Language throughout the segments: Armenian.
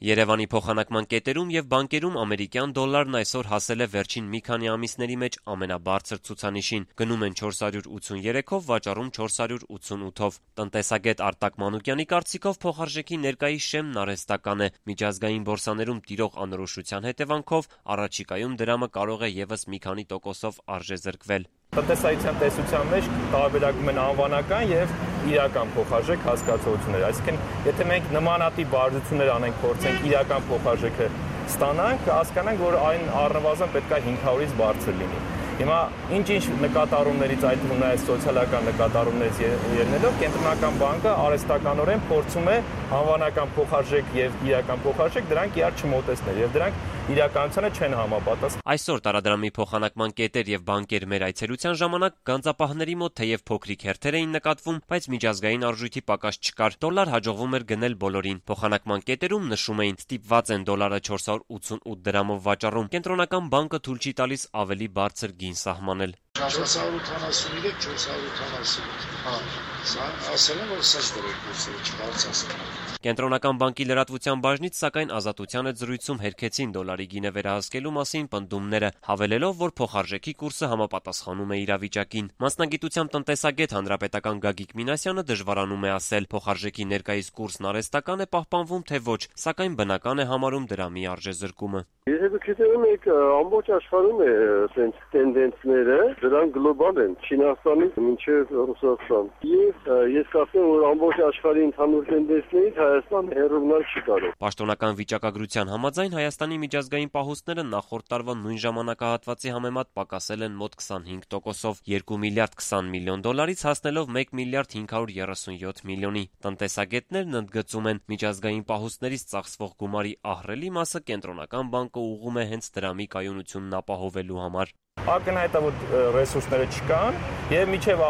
Երևանի փոխանակման կետերում եւ բանկերում ամերիկյան դոլարն այսօր հասել է վերջին մի քանի ամիսների մեջ ամենաբարձր ցուցանիշին։ Գնում են 483-ով, վաճառում 488-ով։ Տնտեսագետ Արտակ Մանուկյանի կարծիքով փոխարժեքի ներկայիս շեմն արհեստական է։ Միջազգային բորսաներում տիրող անորոշության հետևանքով առաջիկայում դրամը կարող է եւս մի քանի տոկոսով արժեզրկվել։ Տնտեսայության տեսության մեջ տարբերակում են անվանական եւ իրական փոխարժեք հասկացությունները։ Այսինքն, եթե մենք նմանատիպ բարդություններ անենք, փորձենք իրական փոխարժեքը ստանանք, հասկանանք, որ այն առնվազն պետք է 500-ից բարձր լինի։ Հիմա ինչ նկատառումներից, այդ թվում նաև սոցիալական նկատառումներից ելնելով, Կենտրոնական բանկը արհեստականորեն փորձում է անվանական փոխարժեք եւ իրական փոխարժեք դրանք իրար չմոտեցնել եւ դրանք իրականությանը չեն համապատասխանում։ Այսօր տարադրամի փոխանակման կետեր եւ բանկեր մեր այցելության ժամանակ գանձապահների մոտ թեև փոքրիկ հերթեր էին նկատվում, բայց միջազգային արժույթի պակաս չկար։ Դոլար հաջողվում էր գնել բոլորին։ Փոխանակման կետերում նշում էին, ստիպված են դոլարը 488 դրամով վաճառում։ Կենտրոնական բանկը թույլ չի տալիս ավելի բարձր գին սահմանել։ 483, 488, սա ասել եմ, որ սա դրոյքուսը չբարձրացնել։ Կենտրոնական բանկի լրատվության բաժնից սակայն Ազատության հետ զրույցում հերքեցին դոլարի գինը վերահսկելու մասին պնդումները, հավելելով, որ փոխարժեքի կուրսը համապատասխանում է իրավիճակին։ Մասնագիտությամբ տնտեսագետ հանրապետական Գագիկ Մինասյանը դժվարանում է ասել, փոխարժեքի ներկայիս կուրսն արհեստական է պահպանվում, թե ոչ, սակայն բնական է համարում դրամի արժեզրկումը։ Եթե դուք գիտեք, ամբողջ աշխարհում է այդպես տենդենսները, դրանք գլոբալ են, Չինաստանից մինչև Ռուսաստան։ Եվ ես կարծում եմ, որ ամբողջ աշխարհի ընդհանուր տենդենսներից Հայաստանը հեռու չի կարող։ Պաշտոնական վիճակագրության համաձայն Հայաստանի միջազգային պահուստները նախորդ տարվա նույն ժամանակահատվածի համեմատ պակասել են մոտ 25%-ով, 2 միլիարդ 20 միլիոն դոլարից հասնելով 1 միլիարդ 537 միլիոնի։ Տնտեսագետներն ընդգծում են, միջազգային պահուստներից ծախսվող գումարի ահռելի մասը Կենտրոնական բանկը ուղղում է հենց դրամի կայունությունն ապահովելու համար։ Ակնհայտ է, որ ռեսուրսները չկան եւ մինչեւ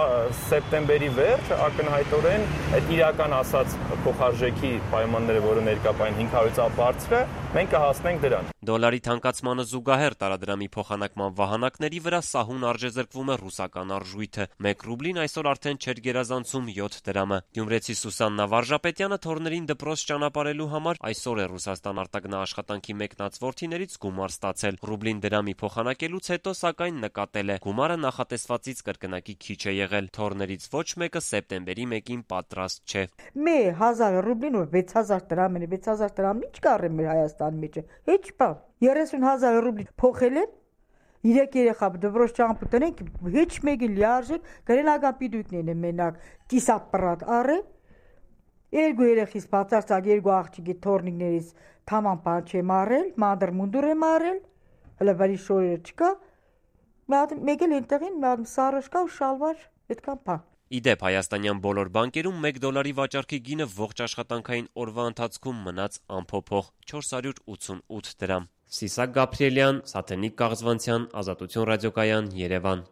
սեպտեմբերի վերջ ակնհայտորեն այդ իրական ասած փոխարժեքի պայմանները, որը ներկայացին 500-ից բարձր է, մենք կհասնենք դրան։ Դոլարի թանկացմանը զուգահեռ տարադրամի փոխանակման վահանակների վրա սահուն արժեզրկվում է ռուսական արժույթը։ 1 ռուբլին այսօր արդեն չէր գերազանցում 7 դրամը։ Գյումրեցի Սուսաննա Վարժապետյանը թորներին դպրոց ճանապարհելու համար այսօր է Ռուսաստան արտագնահաշխատանքի մեկնած որդիներից գումար ստացել։ Ռուբլին դրամի փոխանակելուց հետո սակայն նկատել է, գումարը նախատեսվածից կրկնակի քիչ է եղել։ Թորներից ոչ մեկը սեպտեմբերի 1-ին պատրաստ չէ։ Մի 1000 ռուբլին որ 6000 դրամ է, 6000 դրամն ինչ կառե մեր Հայաստանի մեջ։ Ինչ բան։ 30000 ռուբլի փոխել են։ 3 երեխա դպրոց ճամփու տնենք, ոչ մեկի լիարժեք գրենական պիտույքներն են մենակ կիսապրատ առե։ 2 երեխից բացարձակ 2 աղջիկի թորնիկներից թաման բան չեմ առել, մանդր մունդուր եմ առել, հələ բարի շորերը չկա։ Մեկ էլ այնտեղին սարժ կա ու շալվար, այդքան բան։ Իդեպ հայաստանյան բոլոր բանկերում 1 դոլարի վաճառքի գինը ողջ աշխատանքային օրվա ընթացքում մնաց անփոփոխ 488 դրամ։ Սիսակ Գաբրիելյան, Սաթենիկ Կաղզվանցյան, Ազատություն ռադիոկայան, Երևան։